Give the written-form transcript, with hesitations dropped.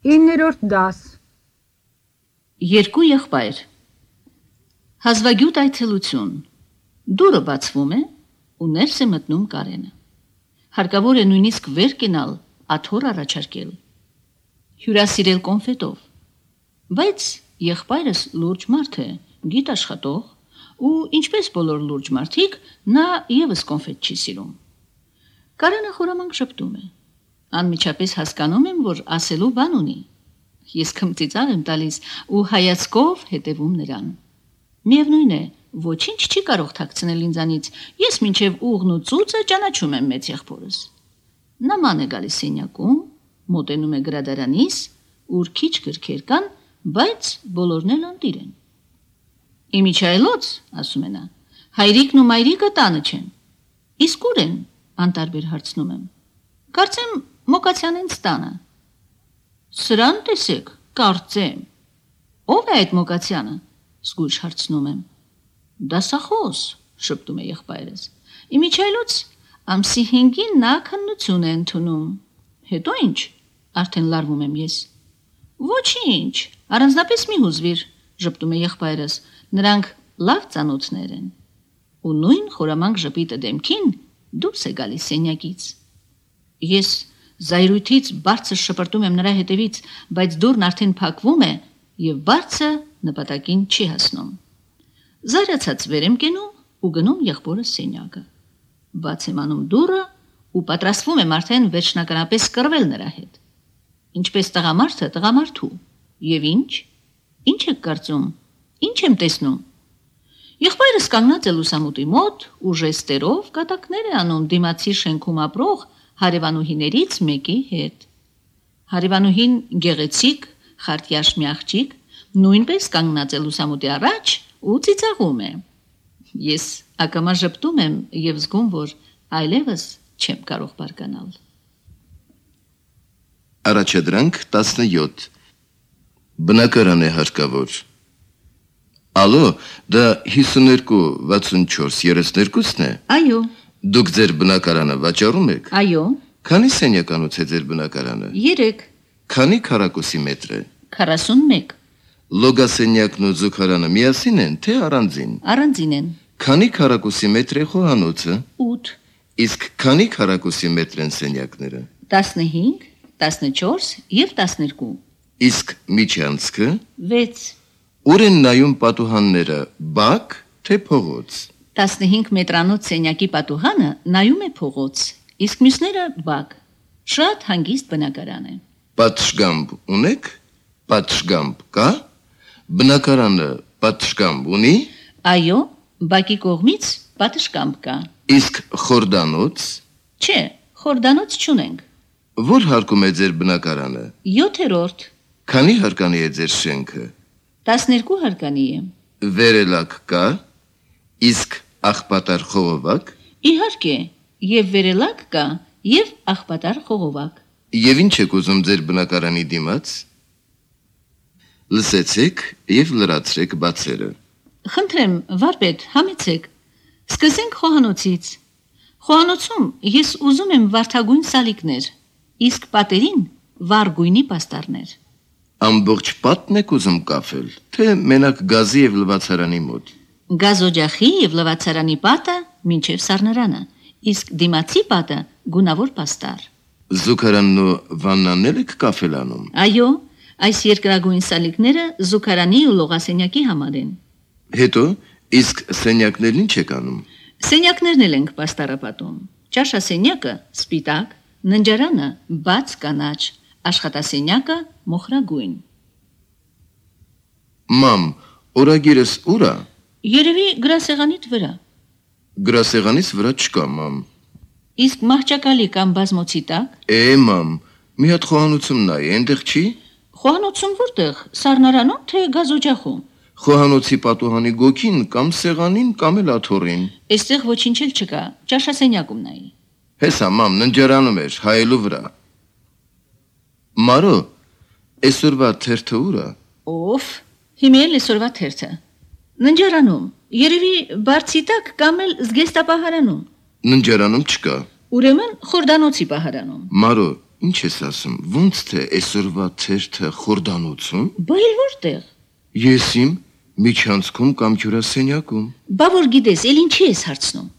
9-րդ դաս։ Երկու եղբայր։ Հազվագյուտ այցելություն։ Դուրը բացվում է ու ներս է մտնում Կարենը։ Հարկավոր է նույնիսկ վեր կենալ, աթոռ առաջարկել։ Հյուրասիրել կոնֆետով։ Բայց եղբայրս լուրջ մարդ է, գիտ աշխատող, ու ինչպես բոլոր լուրջ մարդիկ, նա ևս կոնֆետ չի սիրում։ Կարենը խորամանկ շփտում է։ Անմիջապես հասկանում եմ, որ ասելու բան ունի։ Ես քմծիծաղ եմ տալիս ու հայացքով հետևում նրան։ Միևնույն է, ոչինչ չի կարող թաքցնել ինձանից, ես մինչև ուղն ու ծուծը ճանաչում եմ մեծ եղբորս։ Նման է գալիս սենյակում, մոտենում է գրադարանիս, ուր քիչ գրքեր կան, բայց բոլորն էլ անտիր են։ Իմիջայլոց, ասում է նա, հայրիկն ու մայրիկը տանը չեն։ Իսկ ուր են, անտարբեր հարցնում եմ։ Կարծեմ Մոկացյանենց տանը։ Սրան տեսեք, կարծեմ։ Ո՞վ է այդ Մոկացյանը, զգույշ հարցնում եմ։ Դասախոս, շփտում է եղբայրս։ Իմիջայլոց ամսի 5-ին նա քննություն է ընդունում։ Հետո ինչ, արդեն լարվում եմ ես։ Ոչինչ, առանձնապես մի հուզվիր, շփտում է եղբայրս, նրանք լավ ծանոթներ են։ Ու նույն խորամանկ ժպիտը դեմքին դուրս է գալիս սենյակից։ Ես զայրույթից բարձր շպրտում եմ նրա հետևից, բայց դուռն արդեն փակվում է եւ բարձը նպատակին չի հասնում։ Զայրացած վեր եմ կենում ու գնում եղբորս սենյակը։ Բաց եմ անում դուռը ու պատրաստվում եմ արդեն վերջնականապես կռվել նրա հետ։ Ինչպես տղամարդը տղամարդու։ Եվ ինչ եք կարծում։ Ինչ եմ տեսնում։ Եղբայրս կանգնած է լուսամուտի մոտ ու ժեստերով կատակներ է անում դիմացի շենքում ապրող հարևանուհիներից մեկի հետ։ Հարևանուհին գեղեցիկ, խարտյաշ մի աղջիկ, նույնպես կանգնած է լուսամուտի առաջ ու ծիծաղում է։ Ես ակամա ժպտում եմ եւ զգում, որ այլևս չեմ կարող բարկանալ։ Առաջադրանք 17 Բնակարան է հարկավոր։ Ալո, դա 52-64-32-ն է։ Այո։ Դուք ձեր բնակարանը վաճառում եք։ Այո։ Քանի սենյականոց է ձեր բնակարանը։ 3։ Քանի քառակուսի մետր է։ 41։ Լոգասենյակն ու զուգարանը միասին են, թե առանձին։ Առանձին են։ Քանի քառակուսի մետր է խոհանոցը։ 8։ Իսկ քանի քառակուսի մետր են սենյակները։ 15, 14 եւ 12։ Իսկ միջանցքը 6։ Ուր են նայում պատուհանները, բակ, թե փողոց։ 15 մետրանոց սենյակի պատուհանը նայում է փողոց, իսկ մյուսները բակ։ Շատ հանգիստ բնակարան է։ Պատշգամբ ունեք։ Պատշգամբ կա։ Բնակարանը պատշգամբ ունի։ Այո, բակի կողմից պատշգամբ կա։ Իսկ խորդանոց։ Չէ, խորդանոց չունենք։ Որ հարկում է ձեր բնակարանը։ 7-րդ։ Քանի հարկանի է ձեր շենքը։ 12 հարկանի է։ Վերելակ կա։ Իսկ աղբատար խողովակ։ Իհարկե, եւ վերելակ կա, եւ աղբատար խողովակ։ Եվ ինչ եք ուզում ձեր բնակարանի դիմաց։ Լսեցեք եւ լրացրեք բացերը։ Խնդրեմ, վարպետ, համեցեք։ Սկսենք խոհանոցից։ Խոհանոցում ես ուզում եմ վարդագույն սալիկներ, իսկ պատերին վառ գույնի պաստառներ։ Ամբողջ պատն եք ուզում կաֆել, թե մենակ գազի եւ լվացարանի մոտ։ Գազօջախի եւ լվացարանի պատը մինչեւ սառնարանը, իսկ դիմացի պատը գունավոր պաստառ։ Զուգարանն ու վաննան եք կաֆելանում։ Այո, այս երկրագույն սալիկները զուգարանի ու լողասենյակի համար են։ Հետո իսկ սենյակներն ինչ եք անում։ Սենյակներն էլ ենք պաստառապատում։ Ճաշասենյակը սպիտակ, ննջարանը բաց կանաչ, աշխատասենյակը մոխրագույն։ Մամ, օրագիրս ուր է։ Երևի գրասեղանիդ վրա։ Գրասեղանից վրա չկա, մամ։ Իսկ մահճակալի կամ բազմոցի տակ։ Մամ, մի հատ խոհանոցում նայ, այնտեղ չի։ Խոհանոցում որտեղ, սառնարանում թե գազօջախում։ Խոհանոցի պատուհանի գոքին կամ սեղանին կամ էլ աթոռին։ Այստեղ ոչինչ էլ չկա, ճաշասենյակում նայի։ Հեսա, մամ, ննջարանում էր, հայելու վրա։ Մարո, այսօրվա թերթը ուր է։ Օֆ, հիմա էլ այսօրվա թերթը։ Ննջարանում, երևի բարձի տակ կամ էլ զգեստապահարանում։ Ննջարանում չկա։ Ուրեմն խորդանոցի պահարանում։ Մարո, Ինչ ես ասում, ոնց թե այսօրվա թերթը խորդանոցում։ Բա էլ որտեղ։ Ես իմ միջանցքում կամ հյուրասենյակում։ Բա որ գիտես, էլ ինչի ես հարցնում։